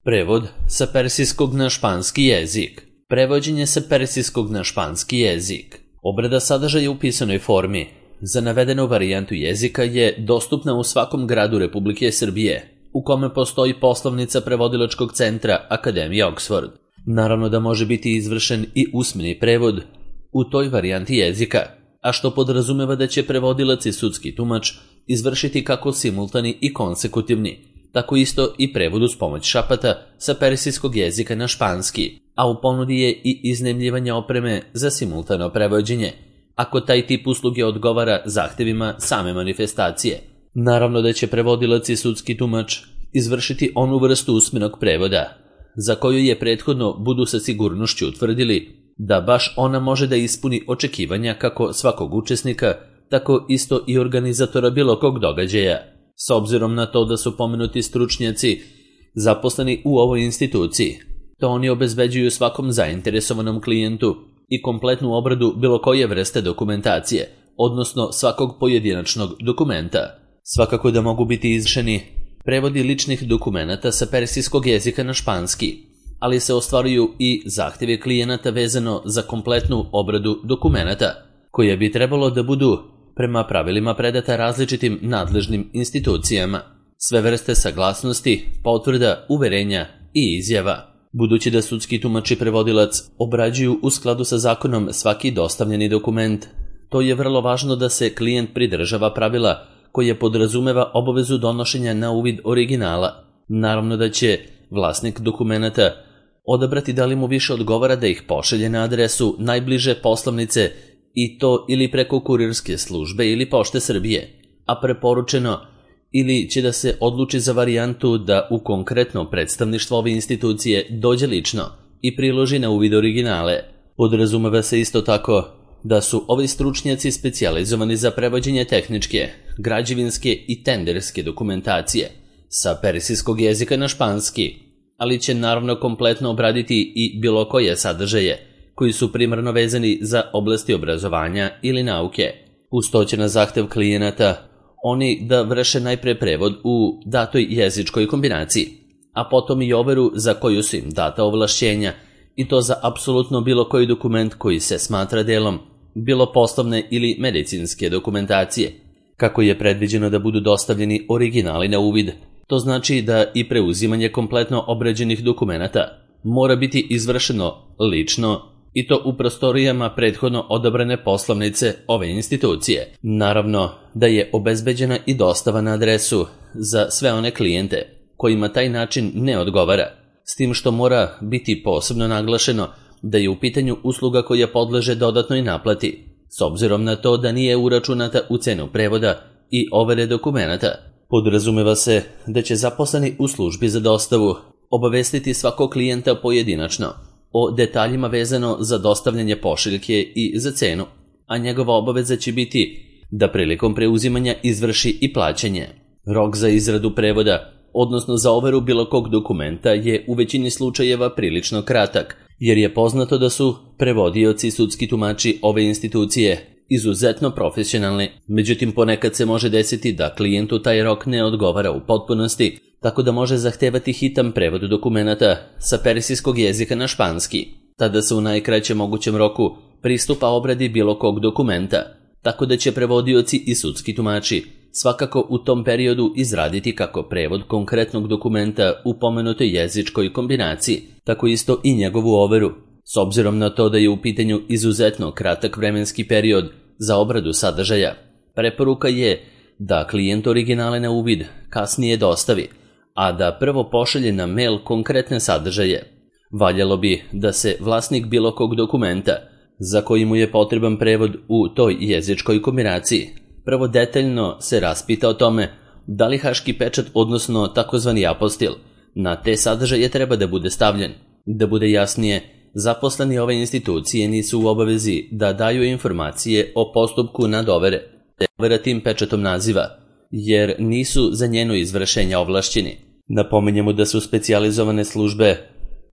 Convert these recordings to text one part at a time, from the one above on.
Prevod sa persijskog na španski jezik. Prevođenje sa persijskog na španski jezik. Obrada sadržaja u pisanoj formi za navedenu varijantu jezika je dostupna u svakom gradu Republike Srbije, u kome postoji poslovnica prevodilačkog centra Akademije Oxford. Naravno da može biti izvršen i usmeni prevod u toj varijanti jezika, a što podrazumeva da će prevodilac i sudski tumač izvršiti kako simultani i konsekutivni, tako isto i prevod uz pomoć šapata sa persijskog jezika na španski, a u ponudi je i iznajmljivanje opreme za simultano prevođenje, ako taj tip usluge odgovara zahtevima same manifestacije. Naravno da će prevodilac i sudski tumač izvršiti onu vrstu usmenog prevoda, za koju je prethodno budu sa sigurnošću utvrdili da baš ona može da ispuni očekivanja kako svakog učesnika, tako isto i organizatora bilo kog događaja. S obzirom na to da su pomenuti stručnjaci zaposleni u ovoj instituciji, to oni obezbeđuju svakom zainteresovanom klijentu i kompletnu obradu bilo koje vrste dokumentacije, odnosno svakog pojedinačnog dokumenta. Svakako da mogu biti izvršeni prevodi ličnih dokumenata sa persijskog jezika na španski, ali se ostvaruju i zahtjeve klijenata vezano za kompletnu obradu dokumenata, koje bi trebalo da budu prema pravilima predata različitim nadležnim institucijama. Sve vrste saglasnosti, potvrda, uverenja i izjava. Budući da sudski tumač i prevodilac obrađuju u skladu sa zakonom svaki dostavljeni dokument, to je vrlo važno da se klijent pridržava pravila koje podrazumeva obavezu donošenja na uvid originala. Naravno da će vlasnik dokumenata odabrati da li mu više odgovara da ih pošalje na adresu najbliže poslovnice i to ili preko kurirske službe ili Pošte Srbije, a preporučeno ili će da se odluči za varijantu da u konkretno predstavništvo ove institucije dođe lično i priloži na uvid originale. Podrazumeva se isto tako da su ovi stručnjaci specijalizovani za prevođenje tehničke, građevinske i tenderske dokumentacije sa persijskog jezika na španski, ali će naravno kompletno obraditi i bilo koje sadržaje koji su primarno vezani za oblasti obrazovanja ili nauke. Uz to će na zahtev klijenata oni da vrše najpre prevod u datoj jezičkoj kombinaciji, a potom i overu za koju su im data ovlašćenja, i to za apsolutno bilo koji dokument koji se smatra delom bilo poslovne ili medicinske dokumentacije. Kako je predviđeno da budu dostavljeni originali na uvid, to znači da i preuzimanje kompletno obrađenih dokumenata mora biti izvršeno lično, i to u prostorijama prethodno odabrane poslovnice ove institucije. Naravno da je obezbeđena i dostava na adresu za sve one klijente kojima taj način ne odgovara, s tim što mora biti posebno naglašeno da je u pitanju usluga koja podleže dodatnoj naplati, s obzirom na to da nije uračunata u cenu prevoda i overe dokumenata. Podrazumeva se da će zaposleni u službi za dostavu obavestiti svakog klijenta pojedinačno o detaljima vezano za dostavljanje pošiljke i za cenu, a njegova obaveza će biti da prilikom preuzimanja izvrši i plaćanje. Rok za izradu prevoda, odnosno za overu bilo kog dokumenta, je u većini slučajeva prilično kratak, jer je poznato da su prevodioci i sudski tumači ove institucije izuzetno profesionalni. Međutim, ponekad se može desiti da klijentu taj rok ne odgovara u potpunosti, tako da može zahtevati hitan prevod dokumenata sa persijskog jezika na španski. Tada se u najkraćem mogućem roku pristupa obradi bilo kog dokumenta, tako da će prevodioci i sudski tumači svakako u tom periodu izraditi kako prevod konkretnog dokumenta u pomenutoj jezičkoj kombinaciji, tako isto i njegovu overu. S obzirom na to da je u pitanju izuzetno kratak vremenski period za obradu sadržaja, preporuka je da klijent originale na uvid kasnije dostavi, a da prvo pošalje na mail konkretne sadržaje. Valjalo bi da se vlasnik bilo kog dokumenta za koji mu je potreban prevod u toj jezičkoj kombinaciji prvo detaljno se raspita o tome da li haški pečat, odnosno takozvani apostil, na te sadržaje treba da bude stavljen. Da bude jasnije, zaposleni ove institucije nisu u obavezi da daju informacije o postupku nadovere, te overa tim pečatom naziva, jer nisu za njeno izvršenje ovlašćeni. Napominjemo da su specijalizovane službe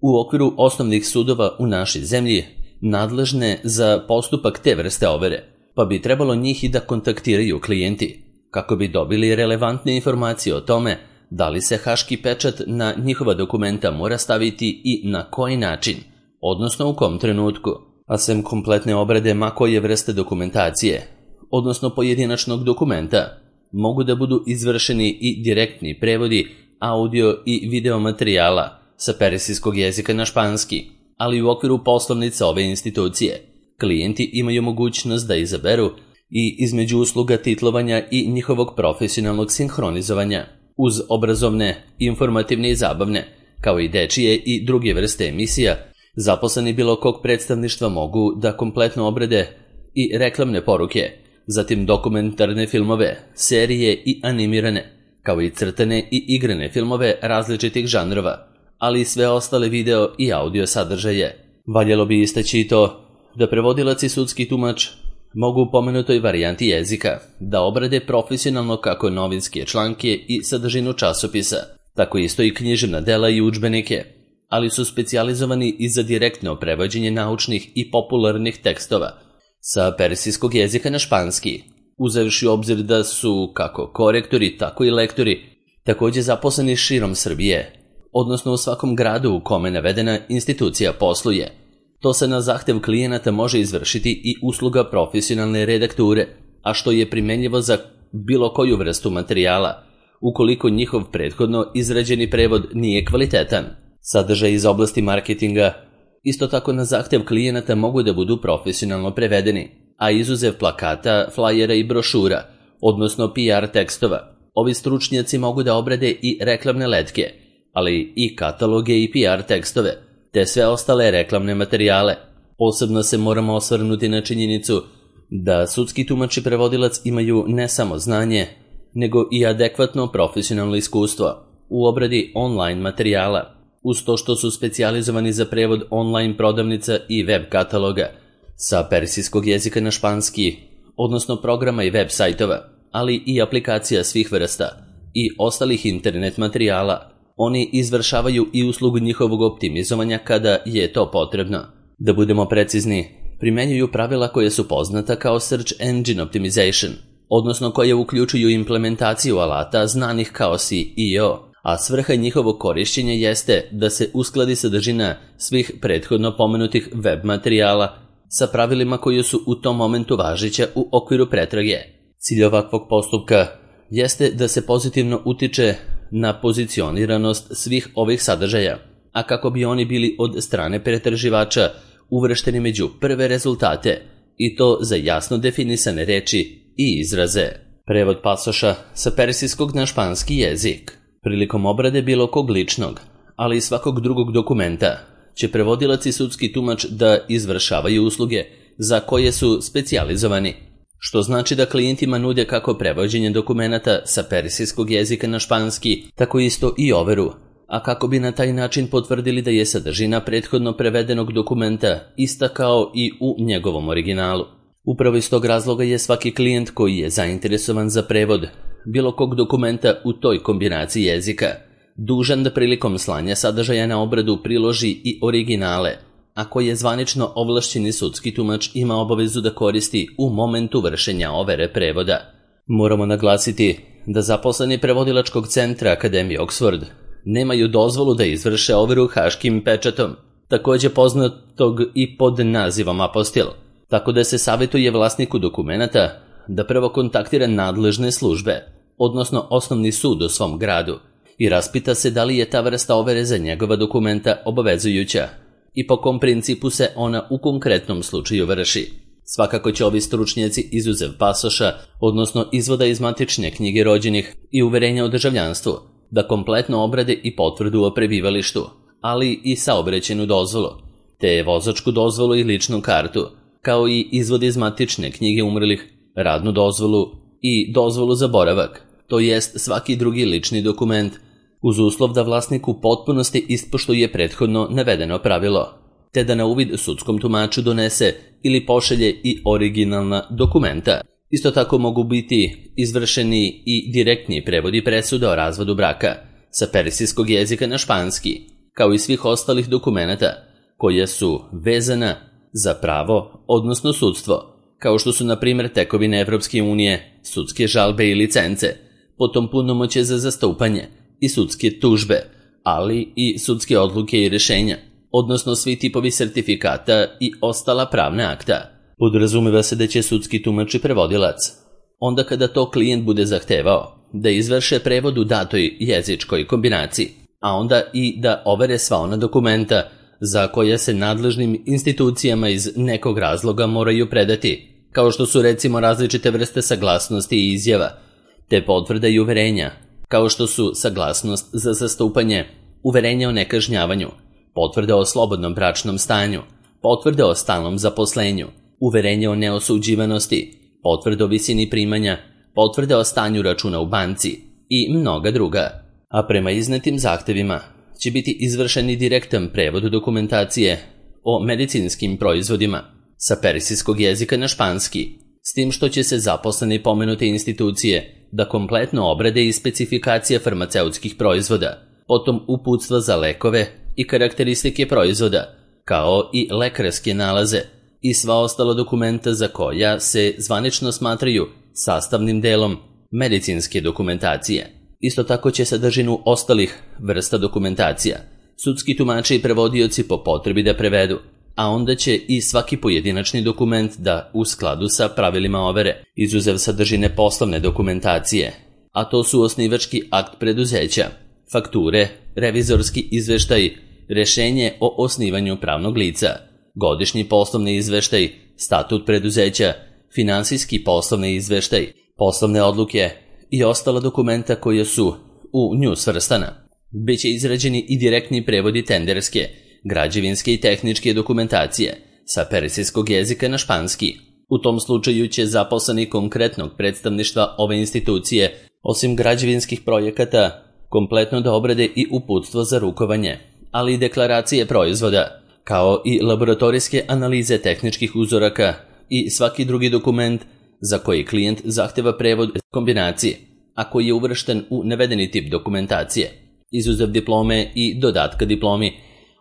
u okviru osnovnih sudova u našoj zemlji nadležne za postupak te vrste overe, pa bi trebalo njih i da kontaktiraju klijenti, kako bi dobili relevantne informacije o tome da li se haški pečat na njihova dokumenta mora staviti i na koji način, odnosno u kom trenutku, a sem kompletne obrade ma koje vrste dokumentacije, odnosno pojedinačnog dokumenta, mogu da budu izvršeni i direktni prevodi audio i video materijala sa persijskog jezika na španski, ali u okviru poslovnica ove institucije. Klijenti imaju mogućnost da izaberu i između usluga titlovanja i njihovog profesionalnog sinhronizovanja, uz obrazovne, informativne i zabavne, kao i dečije i druge vrste emisija, zaposleni bilo kog predstavništva mogu da kompletno obrade i reklamne poruke, zatim dokumentarne filmove, serije i animirane, kao i crtane i igrane filmove različitih žanrova, ali i sve ostale video i audio sadržaje. Valjalo bi istaći i to da prevodilac i sudski tumač mogu u pomenutoj varijanti jezika da obrade profesionalno kako novinske članke i sadržinu časopisa, tako isto i književna dela i udžbenike, ali su specijalizovani i za direktno prevođenje naučnih i popularnih tekstova sa persijskog jezika na španski, uzevši u obzir da su kako korektori, tako i lektori također zaposleni širom Srbije, odnosno u svakom gradu u kome navedena institucija posluje. To se na zahtev klijenata može izvršiti i usluga profesionalne redakture, a što je primenljivo za bilo koju vrstu materijala, ukoliko njihov prethodno izrađeni prevod nije kvalitetan. Sadržaj iz oblasti marketinga isto tako na zahtev klijenata mogu da budu profesionalno prevedeni, a izuzev plakata, flajera i brošura, odnosno PR tekstova, ovi stručnjaci mogu da obrade i reklamne letke, ali i kataloge i PR tekstove, te sve ostale reklamne materijale. Posebno se moramo osvrnuti na činjenicu da sudski tumač i prevodilac imaju ne samo znanje, nego i adekvatno profesionalno iskustvo u obradi online materijala, uz to što su specijalizovani za prevod online prodavnica i web kataloga sa persijskog jezika na španski, odnosno programa i web sajtova, ali i aplikacija svih vrsta i ostalih internet materijala. Oni izvršavaju i uslugu njihovog optimizovanja kada je to potrebno. Da budemo precizni, primenjuju pravila koje su poznata kao Search Engine Optimization, odnosno koje uključuju implementaciju alata znanih kao SEO, a svrha njihovog korišćenja jeste da se uskladi sadržina svih prethodno pomenutih web materijala sa pravilima koje su u tom momentu važeća u okviru pretrage. Cilj ovakvog postupka jeste da se pozitivno utiče na pozicioniranost svih ovih sadržaja, a kako bi oni bili od strane pretraživača uvršteni među prve rezultate, i to za jasno definisane reči i izraze. Prevod pasoša sa persijskog na španski jezik. Prilikom obrade bilo kog ličnog, ali i svakog drugog dokumenta, će prevodilac i sudski tumač da izvršavaju usluge za koje su specijalizovani, što znači da klijentima nude kako prevođenje dokumenata sa persijskog jezika na španski, tako isto i overu, a kako bi na taj način potvrdili da je sadržina prethodno prevedenog dokumenta ista kao i u njegovom originalu. Upravo iz tog razloga je svaki klijent koji je zainteresovan za prevod bilo kog dokumenta u toj kombinaciji jezika dužan da prilikom slanja sadržaja na obradu priloži i originale, a koje zvanično ovlašćeni sudski tumač ima obavezu da koristi u momentu vršenja overe prevoda. Moramo naglasiti da zaposleni prevodilačkog centra Akademije Oxford nemaju dozvolu da izvrše overu haškim pečatom, također poznatog i pod nazivom apostil, tako da se savjetuje vlasniku dokumenata da prvo kontaktira nadležne službe, odnosno osnovni sud u svom gradu, i raspita se da li je ta vrsta overe za njegova dokumenta obavezujuća i po kom principu se ona u konkretnom slučaju vrši. Svakako će ovi stručnjaci izuzev pasoša, odnosno izvoda iz matične knjige rođenih i uverenja o državljanstvu, da kompletno obrade i potvrdu o prebivalištu, ali i saobraćajnu dozvolu, te vozačku dozvolu i ličnu kartu, kao i izvod iz matične knjige umrlih, radnu dozvolu i dozvolu za boravak, to jest svaki drugi lični dokument, uz uslov da vlasnik u potpunosti ispoštuje prethodno navedeno pravilo, te da na uvid sudskom tumaču donese ili pošalje i originalna dokumenta. Isto tako mogu biti izvršeni i direktni prevodi presuda o razvodu braka sa persijskog jezika na španski, kao i svih ostalih dokumenata koja su vezana za pravo, odnosno sudstvo, kao što su na primjer tekovine Evropske unije, sudske žalbe i licence, potom punomoćje za zastupanje i sudske tužbe, ali i sudske odluke i rješenja, odnosno svi tipovi sertifikata i ostala pravna akta. Podrazumeva se da će sudski tumač i prevodilac, onda kada to klijent bude zahtevao, da izvrše prevod u datoj jezičkoj kombinaciji, a onda i da overe sva ona dokumenta za koja se nadležnim institucijama iz nekog razloga moraju predati, kao što su recimo različite vrste saglasnosti i izjava, te potvrda i uverenja, kao što su saglasnost za zastupanje, uverenje o nekažnjavanju, potvrde o slobodnom bračnom stanju, potvrde o stalnom zaposlenju, uverenje o neosuđivanosti, potvrde o visini primanja, potvrde o stanju računa u banci i mnoga druga. A prema iznetim zahtevima će biti izvršeni direktan prevod dokumentacije o medicinskim proizvodima sa persijskog jezika na španski, s tim što će se zaposleni pomenute institucije da kompletno obrade i specifikacije farmaceutskih proizvoda, potom uputstva za lekove i karakteristike proizvoda, kao i lekarske nalaze i sva ostala dokumenta za koja se zvanično smatraju sastavnim delom medicinske dokumentacije. Isto tako će sadržinu ostalih vrsta dokumentacija sudski tumači i prevodioci po potrebi da prevedu, a onda će i svaki pojedinačni dokument da u skladu sa pravilima overe, izuzev sadržine poslovne dokumentacije, a to su osnivački akt preduzeća, fakture, revizorski izveštaj, rješenje o osnivanju pravnog lica, godišnji poslovni izveštaj, statut preduzeća, finansijski poslovni izveštaj, poslovne odluke i ostala dokumenta koja su u nju svrstana. Biće izrađeni i direktni prevodi tenderske, građevinske i tehničke dokumentacije sa persijskog jezika na španski. U tom slučaju će zaposleni konkretnog predstavništva ove institucije, osim građevinskih projekata, kompletno da obrade i uputstvo za rukovanje, ali i deklaracije proizvoda, kao i laboratorijske analize tehničkih uzoraka i svaki drugi dokument za koji klijent zahteva prevod kombinacije, a koji je uvršten u navedeni tip dokumentacije, izuzev diplome i dodatka diplomi,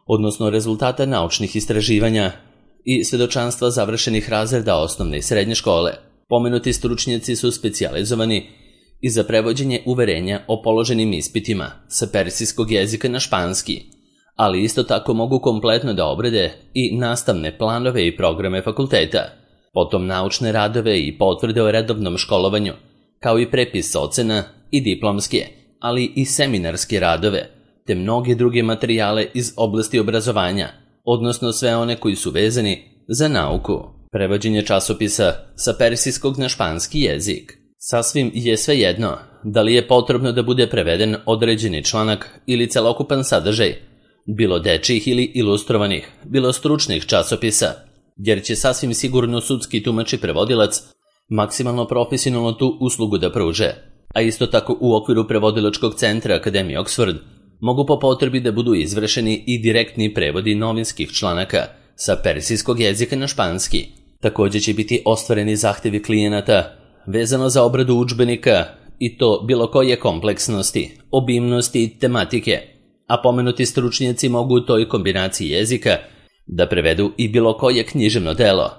odnosno rezultata naučnih istraživanja i svedočanstva završenih razreda osnovne i srednje škole. Pomenuti stručnjaci su specijalizovani i za prevođenje uverenja o položenim ispitima sa persijskog jezika na španski, ali isto tako mogu kompletno da obrade i nastavne planove i programe fakulteta, potom naučne radove i potvrde o redovnom školovanju, kao i prepis ocena i diplomske, ali i seminarske radove, te mnoge druge materijale iz oblasti obrazovanja, odnosno sve one koji su vezani za nauku. Prevođenje časopisa sa persijskog na španski jezik. Sasvim je svejedno da li je potrebno da bude preveden određeni članak ili celokupan sadržaj, bilo dečjih ili ilustrovanih, bilo stručnih časopisa, jer će sasvim sigurno sudski tumač i prevodilac maksimalno profesionalno tu uslugu da pruže, a isto tako u okviru prevodilačkog centra Akademije Oxford mogu po potrebi da budu izvršeni i direktni prevodi novinskih članaka sa persijskog jezika na španski. Također će biti ostvareni zahtevi klijenata vezano za obradu udžbenika i to bilo koje kompleksnosti, obimnosti i tematike, a pomenuti stručnjaci mogu u toj kombinaciji jezika da prevedu i bilo koje književno delo,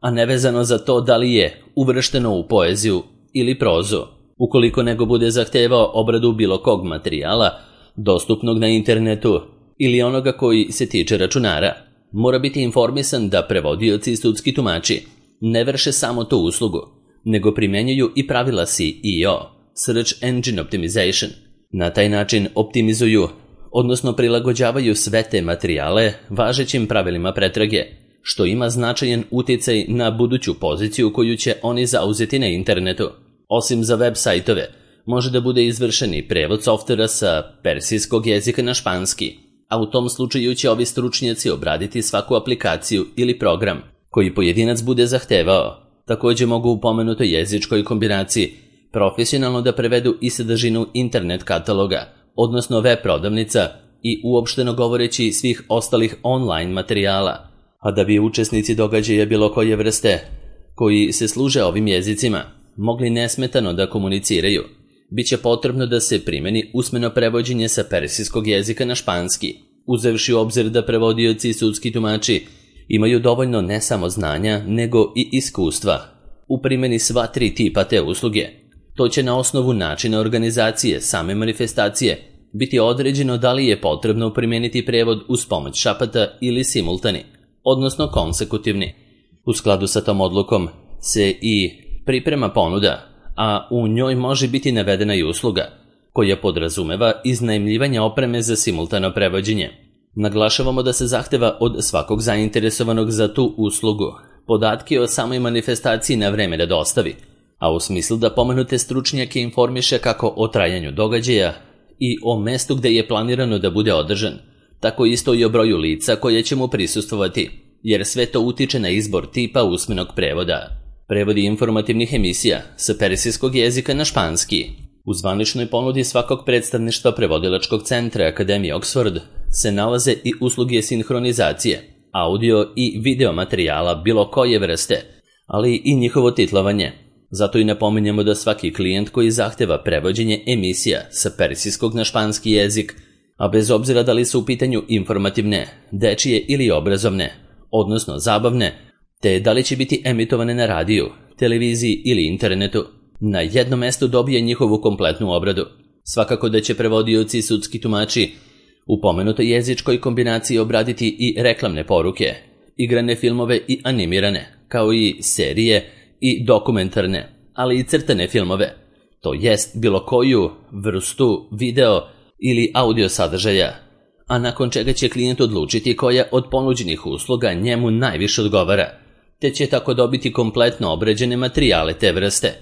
a nevezano za to da li je uvršteno u poeziju ili prozu. Ukoliko nego bude zahtevao obradu bilo kog materijala, dostupnog na internetu ili onoga koji se tiče računara, mora biti informisan da prevodioci i sudski tumači ne vrše samo tu uslugu, nego primjenjuju i pravila SEO, Search Engine Optimization. Na taj način optimizuju, odnosno prilagođavaju sve te materijale važećim pravilima pretrage, što ima značajan utjecaj na buduću poziciju koju će oni zauzeti na internetu. Osim za web sajtove, može da bude izvršen i prevod softvera sa persijskog jezika na španski, a u tom slučaju će ovi stručnjaci obraditi svaku aplikaciju ili program koji pojedinac bude zahtevao. Također mogu u pomenutoj jezičkoj kombinaciji profesionalno da prevedu i sadržinu internet kataloga, odnosno web prodavnica i uopšteno govoreći svih ostalih online materijala. A da bi učesnici događaja bilo koje vrste koji se služe ovim jezicima mogli nesmetano da komuniciraju, bit će potrebno da se primeni usmeno prevođenje sa persijskog jezika na španski, uzevši u obzir da prevodioci i sudski tumači imaju dovoljno ne samo znanja, nego i iskustva u primjeni sva tri tipa te usluge. To će na osnovu načina organizacije same manifestacije biti određeno da li je potrebno primijeniti prevod uz pomoć šapata ili simultani, odnosno konsekutivni. U skladu sa tom odlukom se i priprema ponuda, a u njoj može biti navedena i usluga, koja podrazumeva iznajmljivanje opreme za simultano prevođenje. Naglašavamo da se zahteva od svakog zainteresovanog za tu uslugu podatke o samoj manifestaciji na vreme da dostavi, a u smislu da pomenute stručnjake informiše kako o trajanju događaja i o mestu gde je planirano da bude održan, tako isto i o broju lica koje će mu prisustvovati, jer sve to utiče na izbor tipa usmenog prevoda. Prevodi informativnih emisija sa persijskog jezika na španski. U zvaničnoj ponudi svakog predstavništva prevodilačkog centra Akademije Oxford se nalaze i usluge sinhronizacije, audio i video materijala bilo koje vrste, ali i njihovo titlovanje. Zato i napominjemo da svaki klijent koji zahteva prevođenje emisija sa persijskog na španski jezik, a bez obzira da li su u pitanju informativne, dečije ili obrazovne, odnosno zabavne, te da li će biti emitovane na radiju, televiziji ili internetu, na jednom mestu dobije njihovu kompletnu obradu. Svakako da će prevodioci i sudski tumači u pomenutoj jezičkoj kombinaciji obraditi i reklamne poruke, igrane filmove i animirane, kao i serije i dokumentarne, ali i crtane filmove, to jest bilo koju vrstu video ili audio sadržaja, a nakon čega će klijent odlučiti koja od ponuđenih usluga njemu najviše odgovara, te će tako dobiti kompletno obrađene materijale te vrste.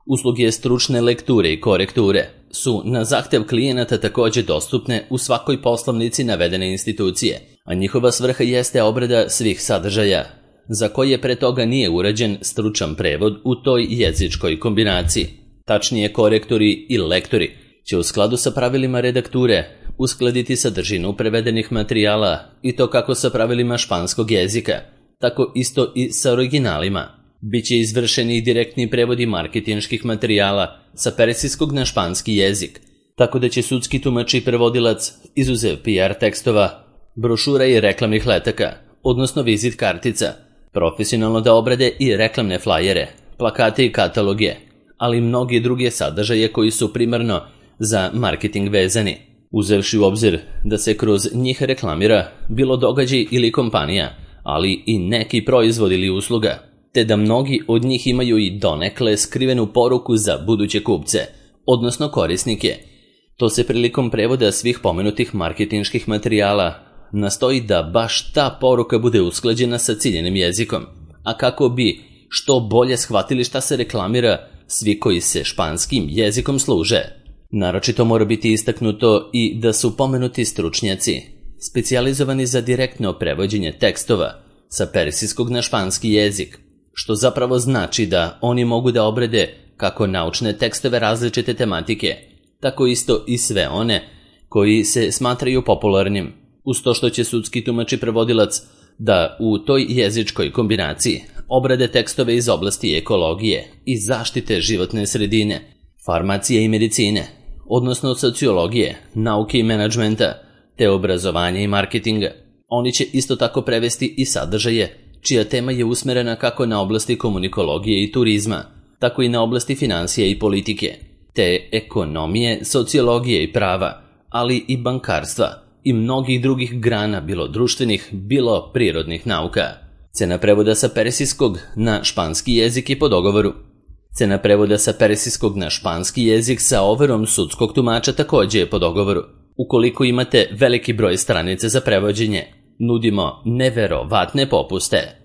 Usluge stručne lekture i korekture su na zahtev klijenata također dostupne u svakoj poslovnici navedene institucije, a njihova svrha jeste obrada svih sadržaja, za koje pre toga nije urađen stručan prevod u toj jezičkoj kombinaciji. Tačnije, korektori i lektori će u skladu sa pravilima redakture uskladiti sadržinu prevedenih materijala i to kako sa pravilima španskog jezika, tako isto i sa originalima. Biće izvršeni i direktni prevodi marketinških materijala sa persijskog na španski jezik, tako da će sudski tumač i prevodilac, izuzev PR tekstova, brošura i reklamnih letaka, odnosno vizit kartica, profesionalno da obrade i reklamne flajere, plakate i kataloge, ali i mnogi druge sadržaje koji su primarno za marketing vezani, uzevši u obzir da se kroz njih reklamira bilo događaj ili kompanija, ali i neki proizvod ili usluga, te da mnogi od njih imaju i donekle skrivenu poruku za buduće kupce, odnosno korisnike. To se prilikom prevoda svih pomenutih marketinških materijala nastoji da baš ta poruka bude usklađena sa ciljenim jezikom, a kako bi što bolje shvatili šta se reklamira svi koji se španskim jezikom služe. Naročito mora biti istaknuto i da su pomenuti stručnjaci specijalizovani za direktno prevođenje tekstova sa persijskog na španski jezik, što zapravo znači da oni mogu da obrade kako naučne tekstove različite tematike, tako isto i sve one koji se smatraju popularnim, uz to što će sudski tumač i prevodilac da u toj jezičkoj kombinaciji obrade tekstove iz oblasti ekologije i zaštite životne sredine, farmacije i medicine, odnosno sociologije, nauke i menadžmenta, te obrazovanja i marketinga. Oni će isto tako prevesti i sadržaje čija tema je usmerena kako na oblasti komunikologije i turizma, tako i na oblasti financija i politike, te ekonomije, sociologije i prava, ali i bankarstva i mnogih drugih grana, bilo društvenih, bilo prirodnih nauka. Cena prevoda sa persijskog na španski jezik je po dogovoru. Cena prevoda sa persijskog na španski jezik sa overom sudskog tumača također je po dogovoru. Ukoliko imate veliki broj stranica za prevođenje, nudimo neverovatne popuste.